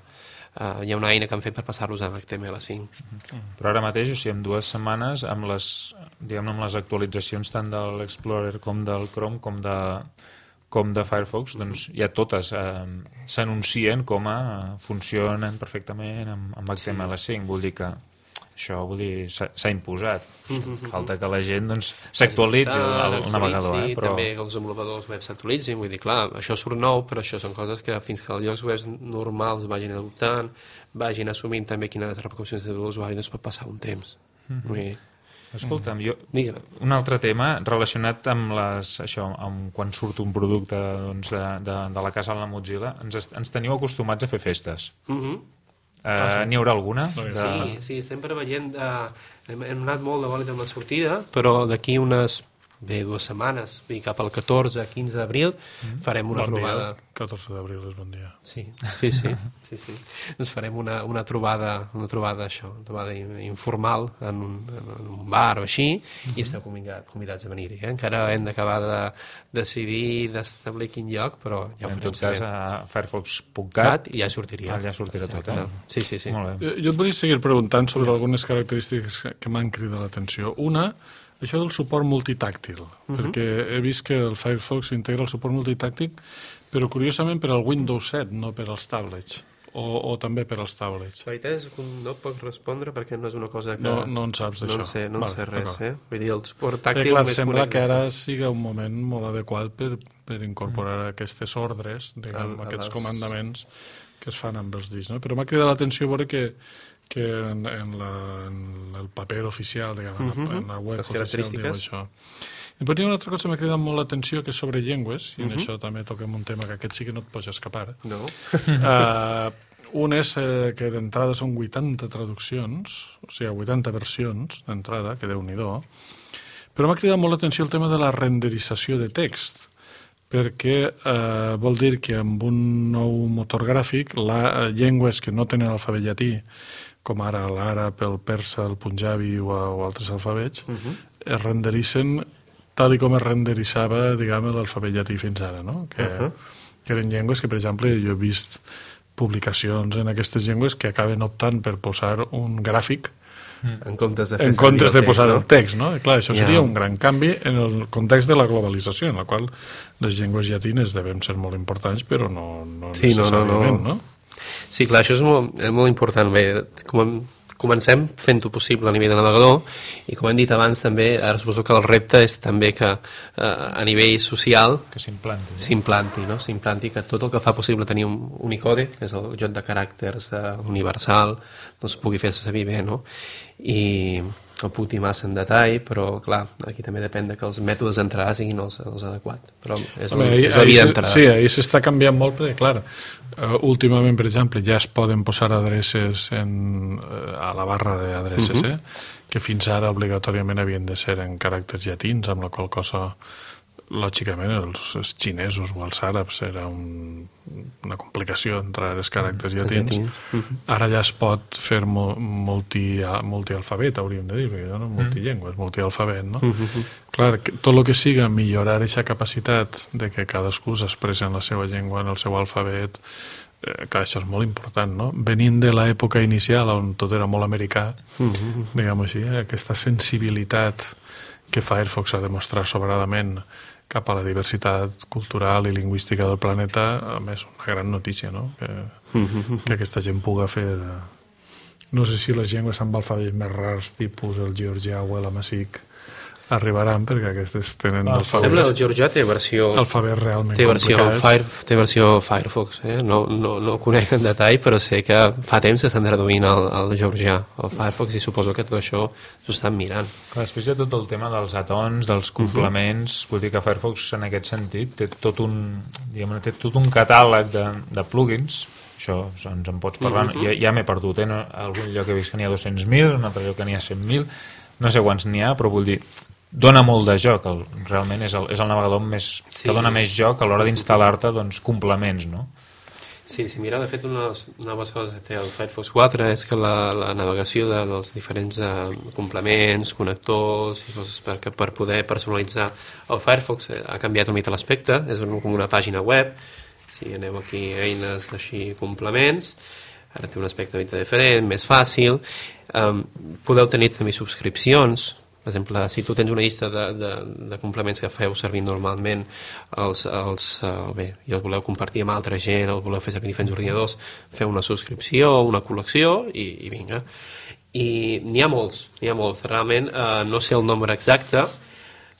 Uh, hi ha una eina que han fet per passar-los a H T M L cinc. Mm-hmm. Però ara mateix, o sigui, en dues setmanes, amb les, diguem, amb les actualitzacions tant de l'Explorer com del Chrome com de, com de Firefox, doncs ja totes eh, s'anuncien com a funcionen perfectament amb, amb H T M L cinc. Sí. Vull dir que això vull dir, s'ha imposat. Falta que la gent doncs, s'actualitzi el, el navegador. Eh? Però... També que els desenvolupadors web s'actualitzin. Vull dir, clar, això surt nou, però això són coses que fins que els llocs web normals vagin adoptant, vagin assumint també quines repercussions té l'usuari, doncs pot passar un temps. Mm-hmm. Vull dir... Escolta'm, jo, Digue'm. Un altre tema relacionat amb, les, això, amb quan surt un producte doncs, de, de, de la casa de la Mozilla, ens, ens teniu acostumats a fer festes. Mhm. Uh, N'hi haurà alguna? De... Sí, sí, sempre veient... Uh, hem, hem anat molt de bòlit amb la sortida, però d'aquí unes... Bé, dues setmanes, i cap al catorze quinze d'abril, mm. farem una bon trobada... Dia. catorze d'abril és bon dia. Sí, sí, sí. sí, sí. Ens farem una, una trobada, una trobada, això, una trobada informal en un, en un bar o així, mm-hmm. i esteu convidats, convidats a venir-hi. Eh? Encara hem d'acabar de decidir d'establir quin lloc, però ja ho farem. En tot cas, a firefox punt cat i ja sortiria. Allà sortirà tot, eh? Sí, sí, sí. Molt bé. Jo et volia seguir preguntant sobre algunes característiques que m'han cridat l'atenció. Una, això del suport multitàctil, uh-huh. perquè he vist que el Firefox integra el suport multitàctil, però curiosament per al Windows set, no per als tablets, o, o també per als tablets. La veritat és que no et puc respondre perquè no és una cosa que... No, no en saps d'això. No en sé, no en vale, sé res, eh? Vull dir, el suport tàctil... Eh, clar, sembla que ara siga un moment molt adequat per, per incorporar mm. aquestes ordres, diguem, a, aquests a les... comandaments que es fan amb els discs, no? Però m'ha cridat l'atenció veure que que en, en, la, en el paper oficial, diguem, uh-huh. en la web les oficial diu això. I després hi ha una altra cosa que m'ha cridat molt l'atenció, que és sobre llengües, i uh-huh. en això també toquem un tema que aquest sí que no et pots escapar. No. uh, un és eh, que d'entrada són vuitanta traduccions, o sigui, vuitanta versions d'entrada, que Déu-n'hi-do, però m'ha cridat molt l'atenció el tema de la renderització de text, perquè eh, vol dir que amb un nou motor gràfic, la, llengües que no tenen alfabet llatí, com ara l'àrab, el persa, el punjabi o, o altres alfabets, uh-huh. es renderitzen tal i com es renderitzava, diguem, l'alfabet llatí fins ara, no? Que, uh-huh. que eren llengües que, per exemple, jo he vist publicacions en aquestes llengües que acaben optant per posar un gràfic en comptes de, fer en comptes de text, posar no? el text, no? I clar, això seria yeah. un gran canvi en el context de la globalització, en la qual les llengües llatines devem ser molt importants, però no, no sí, necessàriament, no, no, no. no? Sí, clar, això és molt, és molt important. Bé, com comencem fent-ho possible a nivell de navegador, i com hem dit abans també, ara suposo que el repte és també que eh, a nivell social que s'implanti, s'implanti, no? S'implanti que tot el que fa possible tenir un Unicode, que és el joc de caràcters eh, universal, doncs pugui fer-se servir bé, no? I no puc dir massa en detall, però clar, aquí també depèn de que els mètodes d'entrada siguin els, els adequats, però és, Home, el, ahí, és la via d'entrada. Sí, ahir s'està canviant molt, perquè clar, uh, últimament, per exemple, ja es poden posar adreces en, uh, a la barra d'adreces, uh-huh. eh? que fins ara obligatòriament havien de ser en caràcters llatins, amb la qual cosa lògicament els, els xinesos o els àrabs era un, una complicació entrar els caràcters llatins. Uh-huh. Ara ja es pot fer multi, multialfabet, hauríem de dir, perquè no? Multillengues, multialfabet, no? Uh-huh. Clar, tot el que siga millorar aquesta capacitat de que cadascú s'expressa en la seva llengua, en el seu alfabet, eh, clar, això és molt important, no? Venint de l'època inicial on tot era molt americà, mm-hmm. diguem-ho així, eh, aquesta sensibilitat que Firefox ha demostrat sobradament cap a la diversitat cultural i lingüística del planeta, a més, una gran notícia, no? Que, mm-hmm. que aquesta gent puga fer... No sé si les llengües amb alfabets més rars, tipus el georgià o l'amazic, arribaran, perquè aquestes tenen ah, alfabets... Sembla que el georgià té versió... Alfabets realment té versió complicats. Fire, té versió Firefox, eh? No, no, no ho conec en detall, però sé que fa temps que estan traduint el, el georgià, el Firefox, i suposo que tot això s'ho estan mirant. Clar, després hi ha tot el tema dels atons, dels complements, uh-huh. vull dir que Firefox en aquest sentit té tot un, diguem, té tot un catàleg de, de plugins. Això ens en pots parlar, uh-huh. ja, ja m'he perdut, eh? No, algun lloc he vist que n'hi ha dos-cents mil, un altre lloc que n'hi ha cent mil, no sé quants n'hi ha, però vull dir, dona molt de joc, el, realment és el, és el navegador més, sí. que dona més joc a l'hora d'instal·lar-te doncs, complements, no? Sí, sí, mira, de fet, una de les noves coses que té el Firefox quatre és que la, la navegació de, dels diferents uh, complements, connectors i coses per, per poder personalitzar el Firefox eh, ha canviat una mica l'aspecte, és un, com una pàgina web. Si aneu aquí a eines així complements, ara té un aspecte diferent, més fàcil. Um, podeu tenir també subscripcions. Per exemple, si tu tens una llista de, de, de complements que feu servir normalment, els, els, uh, bé, i els voleu compartir amb altra gent, els voleu fer servir diferents ordinadors, feu una subscripció, una col·lecció i, i vinga. I n'hi ha molts, n'hi ha molts. Realment uh, no sé el nombre exacte,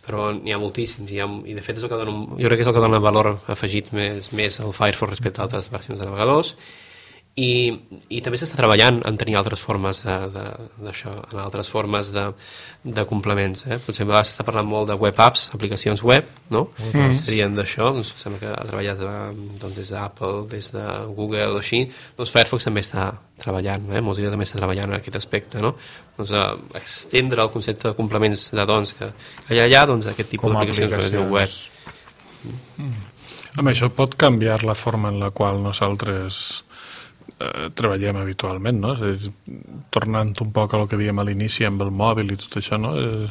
però n'hi ha moltíssims, i, ha, i de fet és el que dona, jo crec que és el que dona valor afegit més, més al Firefox respecte a altres versions de navegadors, i, i també s'està treballant en tenir altres formes d'això, en altres formes de, de complements, eh? Potser a vegades s'està parlant molt de web apps, aplicacions web, no? Mm. Serien d'això, doncs sembla que ha treballat doncs, des d'Apple, des de Google o així, doncs Firefox també està treballant, eh? Mozilla també està treballant en aquest aspecte, no? Doncs a extendre el concepte de complements de dons que, que hi ha allà, doncs aquest tipus d'aplicacions web. Mm. Amb això pot canviar la forma en la qual nosaltres eh, treballem habitualment, no? És a dir, tornant un poc a lo que dèiem a l'inici amb el mòbil i tot això, no? Eh,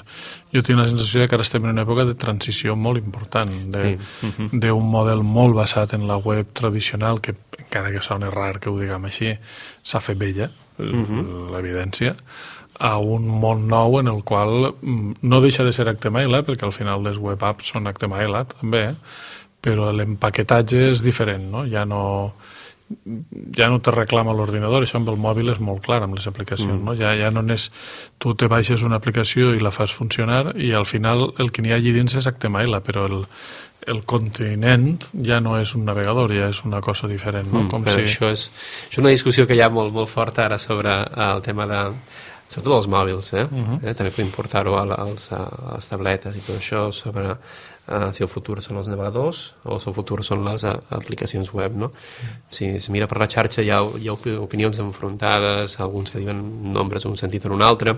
jo tinc la sensació de que ara estem en una època de transició molt important, d'un sí. uh-huh. model molt basat en la web tradicional, que encara que soni rar que ho diguem així, s'ha fet vella, uh-huh. l'evidència, a un món nou en el qual no deixa de ser H T M L, perquè al final les web apps són H T M L també, però l'empaquetatge és diferent, no? Ja no, ja no te reclama l'ordinador, això amb el mòbil és molt clar amb les aplicacions, mm. no? Ja, ja no és, tu te baixes una aplicació i la fas funcionar i al final el que n'hi ha allí dins és H T M L, però el, el continent ja no és un navegador, ja és una cosa diferent, no? Mm, Com si... si... això és, és una discussió que hi ha molt, molt forta ara sobre el tema de sobretot els mòbils, eh? Uh-huh. eh? També podem portar-ho a, als, a les tabletes i tot això sobre uh, si el futur són els navegadors o si el futur són les uh, aplicacions web, no? Uh-huh. Si es mira per la xarxa hi ha, hi ha opinions enfrontades, alguns que diuen nombres en un sentit o en un altre.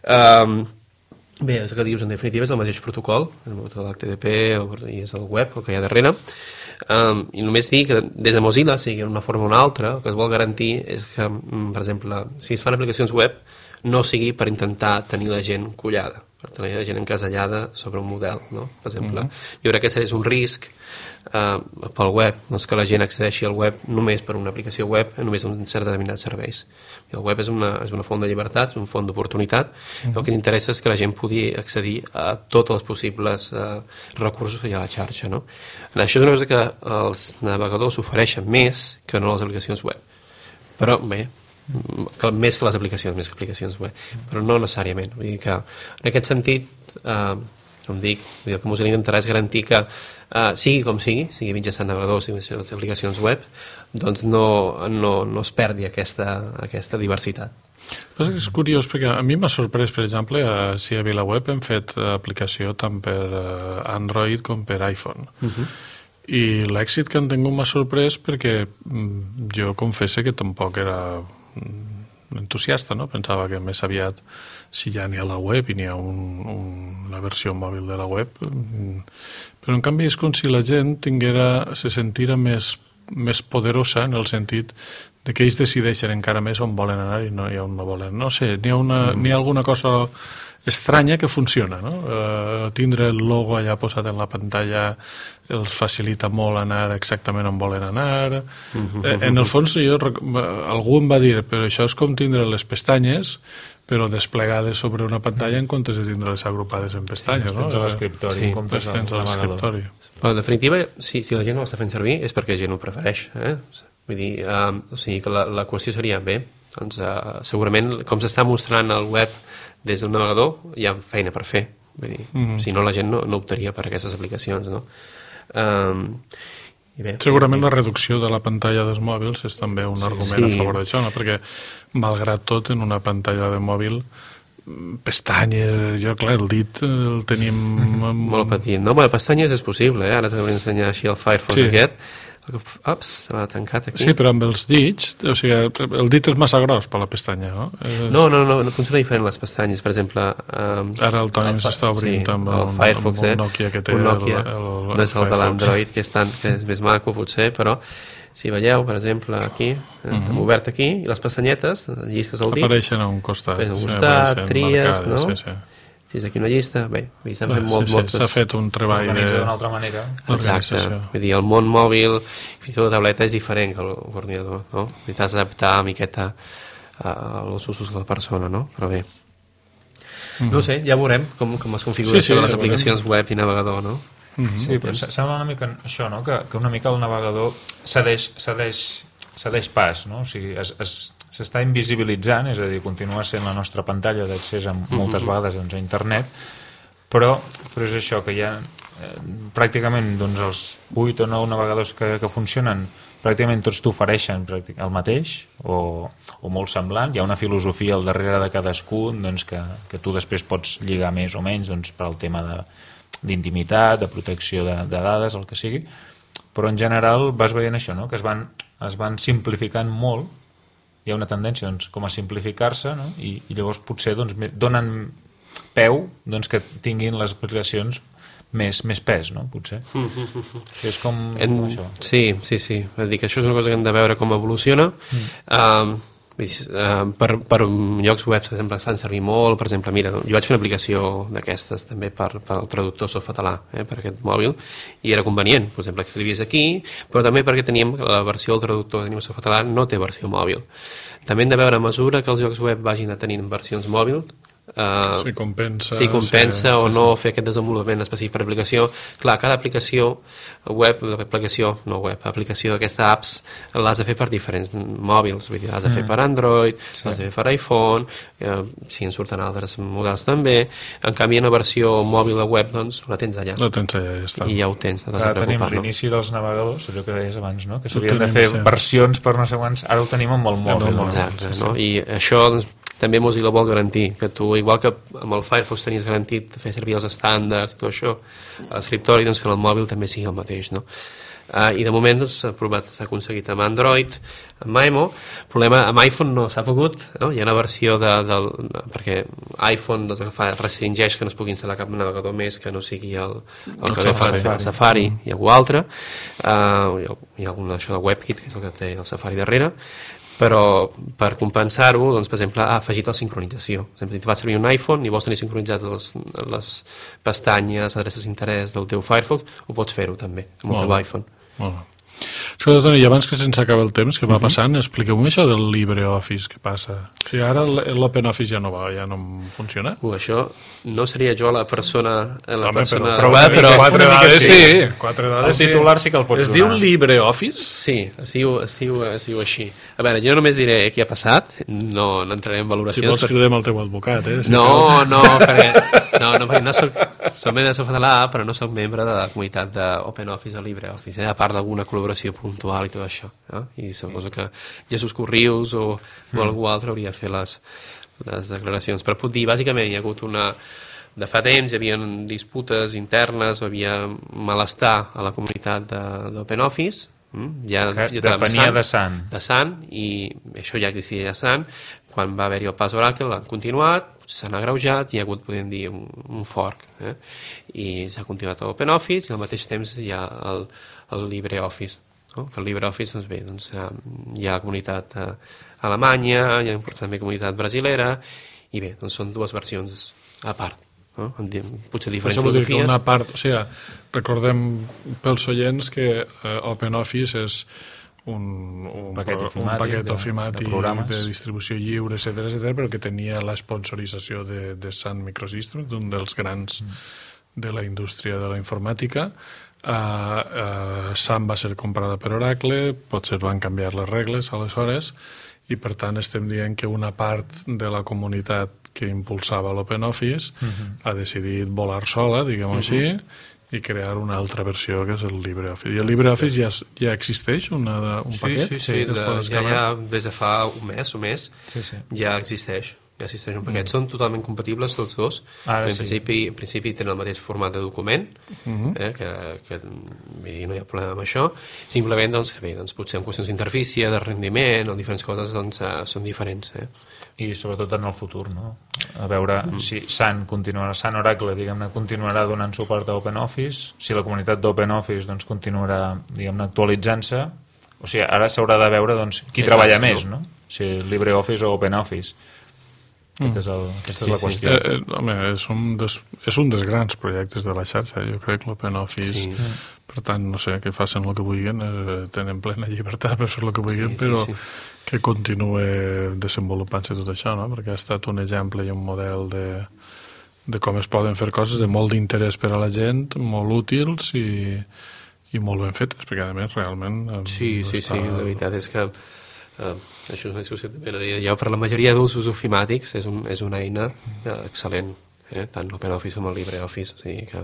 Um, bé, el que dius en definitiva és el mateix protocol, el protocol H T T P i és el web, el que hi ha darrere. Um, i només dir que des de Mozilla, sigui en una forma o una altra, el que es vol garantir és que, per exemple, si es fan aplicacions web no sigui per intentar tenir la gent collada, per tenir la gent encasellada sobre un model, no? Per exemple, mm-hmm. jo crec que és un risc eh, pel web, doncs que la gent accedeixi al web només per una aplicació web, només un cert determinats serveis. I el web és una, és una font de llibertat, és un font d'oportunitat, mm-hmm. el que interessa és que la gent pugui accedir a tots els possibles eh, recursos que hi ha a la xarxa, no? Això és una cosa que els navegadors ofereixen més que no les aplicacions web. Però, bé, que, més que les aplicacions, més que aplicacions web, però no necessàriament. Vull dir que en aquest sentit, eh, com dic, el que Mozilla intentarà és garantir que eh, sigui com sigui, sigui mitjançant navegadors, sigui mitjançant aplicacions web, doncs no, no, no es perdi aquesta, aquesta diversitat. Però és curiós, perquè a mi m'ha sorprès, per exemple, a, si a VilaWeb hem fet aplicació tant per uh, Android com per iPhone. Uh-huh. I l'èxit que han tingut m'ha sorprès perquè mm, jo confesso que tampoc era entusiasta, no? Pensava que més aviat, si ja n'hi ha la web i n'hi ha un, un, una versió mòbil de la web, però en canvi és com si la gent tinguera, se sentira més, més poderosa en el sentit de que ells decideixen encara més on volen anar i no hi ha on no volen. No sé, n'hi ha, una, mm. n'hi ha alguna cosa estranya que funciona, no? Eh, tindre el logo allà posat en la pantalla els facilita molt anar exactament on volen anar. Eh, en el fons, jo, algú em va dir, però això és com tindre les pestanyes, però desplegades sobre una pantalla en comptes de tindre-les agrupades en pestanyes, no? Tens a l'escriptori, Sí, en comptes Tens a l'escriptori. Però, en definitiva, si, si la gent no l'està fent servir és perquè la gent ho prefereix. Eh? Vull dir, um, o sigui que la, la qüestió seria, bé, doncs uh, segurament, com s'està mostrant el web des d'un navegador, hi ha feina per fer. Vull dir, mm-hmm. si no, la gent no, no optaria per aquestes aplicacions, no? Um, i bé, Segurament i, la reducció de la pantalla dels mòbils és també un Sí, argument sí. a favor d'això, no? Perquè, malgrat tot, en una pantalla de mòbil, pestanyes, jo, clar, el dit el tenim... molt petit. No, bueno, pestanyes és possible, eh? Ara t'ho vull ensenyar així el Firefox Sí. aquest. Ups, se m'ha tancat aquí. Sí, però amb els dits, o sigui, el dit és massa gros per la pestanya, no? És... No, no, no, no funciona diferent les pestanyes. Per exemple... Um, Ara el Toni el s'està obrint sí, amb, el un, Firefox, amb un eh? Nokia que té un Nokia. el, el, el no és el de Firefox. l'Android, que, és tan, que és més maco, potser, però si veieu, per exemple, aquí, eh, Mhm. hem obert aquí, i les pestanyetes, llistes al dit, Apareixen a un costat. Apareixen a un sí, costat, apareixen tries, marcades, no? Sí, sí. si és aquí una llista, bé, s'han Bé, fet molt, sí, sí, moltes... s'ha fet un treball de... Organitza d'una altra manera. Exacte, l'organització. vull dir, el món mòbil, fins i tot la tauleta és diferent que l'ordinador, no? I t'has d'adaptar una miqueta als usos de la persona, no? Però bé, Mhm. no ho sé, ja veurem com, com es configura Sí, sí, això de les ja aplicacions web i navegador, no? Mhm. Sí, però se- sembla una mica això, no? Que, que una mica el navegador cedeix, cedeix, cedeix pas, no? O sigui, es, es, s'està invisibilitzant, és a dir, continua sent la nostra pantalla d'accés a moltes vegades doncs, a internet, però, però és això, que hi ha eh, pràcticament doncs, els vuit o nou navegadors que, que funcionen, pràcticament tots t'ofereixen pràctic- el mateix o, o molt semblant, hi ha una filosofia al darrere de cadascun doncs, que, que tu després pots lligar més o menys doncs, per al tema de, d'intimitat, de protecció de, de dades, el que sigui, però en general vas veient això, no? Que es van, es van simplificant molt, hi ha una tendència doncs, com a simplificar-se, no? I, i llavors potser doncs, me- donen peu doncs, que tinguin les aplicacions més, més pes, no? Potser. És com, En, com això. sí, sí, sí. Vull dir que això és una cosa que hem de veure com evoluciona. Mm. Um, vull dir, uh, per, per llocs web, per exemple, es fan servir molt. Per exemple, mira, jo vaig fer una aplicació d'aquestes també per, per al traductor softcatalà, eh, per aquest mòbil, i era convenient, per exemple, que escrivies aquí, però també perquè teníem la versió del traductor de softcatalà no té versió mòbil. També hem de veure a mesura que els llocs web vagin a tenir versions mòbils, Uh, Si compensa... si compensa sí, o sí, no fer aquest desenvolupament específic per aplicació. Clar, cada aplicació web, l'aplicació, no web, aplicació d'aquesta apps l'has de fer per diferents mòbils, vull dir, l'has de fer per Android, sí. l'has de fer per iPhone, eh, si en surten altres models també. En canvi, en una versió mòbil de web, doncs, la tens allà. La tens allà, ja està. I ja ho tens, no t'has Ara de tenim preocupar, no? l'inici dels navegadors, allò que deies abans, no? Que Ho s'havien de tenim, fer sí. versions per no sé quants, ara ho tenim amb el mòbil. el no? Exacte, Sí, no? sí. I això doncs, també Mozilla vol garantir, que tu, igual que amb el Firefox tenies garantit fer servir els estàndards i tot això, a l'escriptori, doncs que el mòbil també sigui el mateix, no? Uh, i de moment doncs, s'ha provat, s'ha aconseguit amb Android, amb Maemo. El problema amb iPhone no s'ha pogut, no? Hi ha una versió de, del, perquè iPhone doncs, fa, restringeix que no es pugui instal·lar cap navegador més que no sigui el, el que fa Safari. el Safari i algú altre. Uh, hi ha, hi ha alguna això de WebKit, que és el que té el Safari darrere, però per compensar-ho, doncs, per exemple, ha afegit la sincronització. Per exemple, si vas servir un iPhone i vols tenir sincronitzat les, les pestanyes, adreces d'interès del teu Firefox, ho pots fer-ho també, amb el Molt teu bé. iPhone. Molt bé. Escolta, Toni, i abans que se'ns acaba el temps, que va passant, expliqueu-me això del LibreOffice, què passa? O sigui, ara l'OpenOffice ja no va, ja no funciona? Uh, això no seria jo la persona... La Home, persona però, però, però, quatre una mica dades sí. sí. Quatre dades El titular sí que el pots es donar. diu LibreOffice? Sí, es diu, es, diu, es diu així. A veure, jo només diré què ha passat, no, no entraré en Si valoracions. vols cridem el teu advocat, eh? Si No, cal. no, perquè, no, no, perquè no soc, soc membre de softcatalà, però no soc membre de la comunitat d'OpenOffice o LibreOffice, eh, a part d'alguna col·laboració puntual i tot això. Eh? I suposo que Jesús Corrius o, o algú altre hauria de fer les, les declaracions. Però puc dir, bàsicament, hi ha hagut una... De fa temps hi havia disputes internes, o hi havia malestar a la comunitat de- d'OpenOffice, ja, Que jo estava amb depenia Sun, de Sun. de Sun, i això ja existia a Sun. Quan va haver-hi el pas Oracle l'han continuat, s'han agreujat, hi ha hagut, podem dir, un, un fork, eh? I s'ha continuat a OpenOffice i al mateix temps hi ha el, el LibreOffice, no? Que el LibreOffice, doncs bé, doncs, eh, hi ha la comunitat eh, alemanya, hi ha també comunitat brasilera, i bé, doncs són dues versions a part, no? Potser diferents Això vol dir que filosofies. una part, o sigui, recordem pels oients que eh, OpenOffice és un, un paquet pro- ofimàtic, un paquet de- ofimàtic de de, programes. de distribució lliure, etcètera, etcètera, però que tenia la sponsorització de, de Sun Microsystems, un dels grans mm. de la indústria de la informàtica. Uh, uh, Sun va ser comprada per Oracle, potser van canviar les regles aleshores, i per tant estem dient que una part de la comunitat que impulsava l'OpenOffice uh-huh. ha decidit volar sola, diguem-ho uh-huh. així, i crear una altra versió que és el LibreOffice. I el LibreOffice ja, ja existeix, una, un sí, paquet? Sí, sí, que es de, pot ja, descarregar? ja des de fa un mes o més Sí, sí. ja existeix. Ja existeix un paquet. Mm. Són totalment compatibles tots dos. Ara en, sí. principi, en principi tenen el mateix format de document, Mhm. eh, que, que vull dir, no hi ha problema amb això. Simplement, doncs, que bé, doncs, potser en qüestions d'interfície, de rendiment o diferents coses, doncs, eh, són diferents. Eh? I sobretot en el futur, no? A veure mm. si Sun continuarà, Sun Oracle, diguem-ne, continuarà donant suport a OpenOffice, si la comunitat d'OpenOffice doncs, continuarà, diguem-ne, actualitzant-se. O sigui, ara s'haurà de veure doncs, qui Sí, treballa clar, sí, més, no? Si LibreOffice o OpenOffice. Aquest és el, aquesta és la Sí, sí. qüestió. Eh, eh, home, és un, des, és un dels grans projectes de la xarxa, jo crec, l'OpenOffice. Sí. Per tant, no sé, que facin el que vulguin, eh, tenen plena llibertat per fer el que vulguin, Sí, sí, però sí. que continuï desenvolupant-se tot això, no? Perquè ha estat un exemple i un model de, de com es poden fer coses de molt d'interès per a la gent, molt útils i, i molt ben fetes, perquè a més realment... eh, Sí, sí, està... sí, la veritat és que eh, això és una discussió també la deia jo, per la majoria d'usos ofimàtics és, un, és una eina eh, excel·lent, eh? Tant l'OpenOffice com el LibreOffice, o sigui que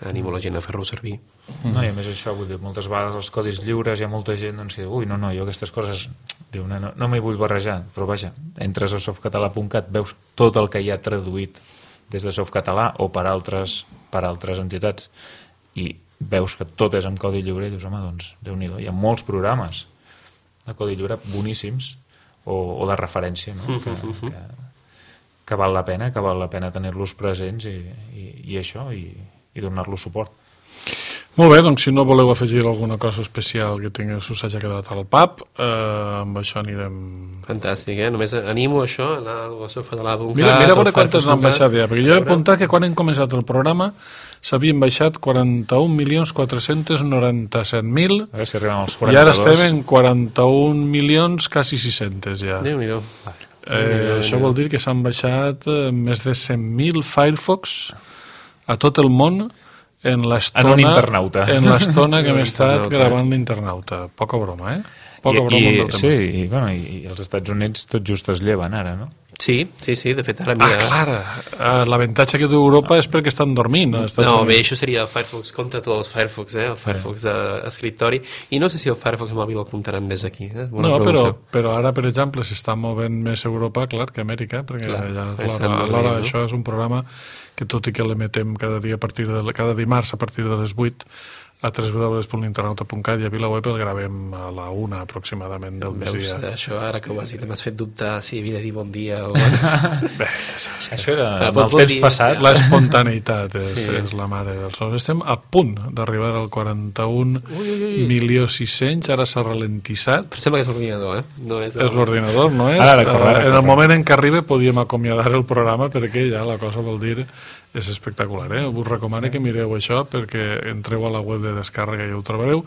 animo la gent a fer-lo servir. No, i a més això, vull dir, moltes vegades els codis lliures hi ha molta gent doncs, que diu, ui, no, no, jo aquestes coses diu, no, no, no m'hi vull barrejar, però vaja, entres a softcatalà punt cat, veus tot el que hi ha traduït des de Softcatalà o per altres, per altres entitats i veus que tot és en codi lliure i dius, home, doncs, Déu-n'hi-do, hi ha molts programes de codi lliure boníssims o, o de referència, no? que, que, que val la pena, que val la pena tenir-los presents i, i, i això, i, i donar-los suport. Molt bé, doncs si no voleu afegir alguna cosa especial que tingui, us hagi quedat al pap, eh, amb això anirem... Fantàstic, eh? Només animo això, anar a la softcatalà punt cat. Mira, mira a veure quantes n'han Firefox baixat ja, perquè jo he A veure. apuntat que quan hem començat el programa s'havien baixat quaranta-un milions quatre-cents noranta-set mil A veure si arribem als i quaranta-dos. ara estem en quaranta-un milions quasi sis-cents ja. Déu-n'hi-do. Eh, això vol dir que s'han baixat eh, més de cent mil Firefox a tot el món en l'estona En un internauta. en l'estona que En un hem estat internauta. gravant l'internauta. Poca broma, eh? Poca I, broma amb i, el tema. sí, i, bueno, i, i els Estats Units tot just es lleven ara, no? Sí, sí, sí, de fet ara Ah, mira... clar, eh, l'avantatge que té Europa és perquè estan dormint. als Estats No, bé, Units. això seria el Firefox contra tots els Firefox, eh? El Firefox d'escriptori. I no sé si el Firefox mòbil el comptaran des d'aquí, eh? Bona No, però, pregunta. però ara, per exemple, s'està movent més Europa, clar, que Amèrica, perquè Clar, ja, estem alhora, movent, alhora no? això és un programa que tot i que l'emetem cada dia a partir de, cada dimarts a partir de les vuit a w w w punt internauta punt cat i a VilaWeb el gravem a la una aproximadament del Veus, migdia. això ara que ho has dit m'has fet dubtar si havia de dir bon dia o... Bé, ja saps que Això era Ah, amb pot- el pot temps dir- passat. l'espontaneïtat és, Sí. és la mare dels sons. Estem a punt d'arribar al quaranta-un milió sis-cents, ara s'ha ralentissat. Però sembla que és l'ordinador, eh? No és, el... És l'ordinador, no és? Ara, ara, corre, ara, Eh, en el corre. moment en què arribi podíem acomiadar el programa perquè ja la cosa vol dir és espectacular, eh? Us recomano sí. que mireu això perquè entreu a la web de descàrrega i ho trobareu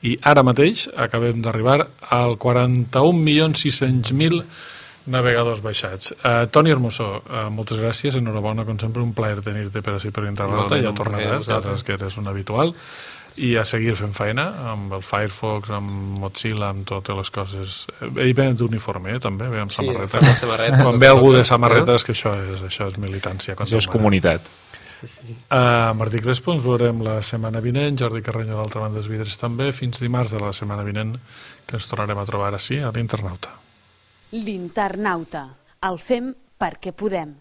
i ara mateix acabem d'arribar al quaranta-un milions sis-cents mil navegadors baixats. Uh, Toni Hermosó, uh, moltes gràcies, enhorabona, com sempre, un plaer tenir-te per així per Internauta, Igualment, ja un plaer, tornaràs, vosaltres. altres que eres un habitual, i a seguir fent feina amb el Firefox, amb Mozilla, amb totes les coses. Ell ve d'uniforme, eh, també, ve amb Sí, samarreta. fa la samarreta, Quan no ve sé algú de com- samarreta és que això és, això és militància. Això és contra humana. comunitat. Uh, Martí Crespo, ens veurem la setmana vinent, Jordi Carreño a l'altra banda dels vidres també, fins dimarts de la setmana vinent, que ens tornarem a trobar així a l'Internauta. L'Internauta. El fem perquè podem.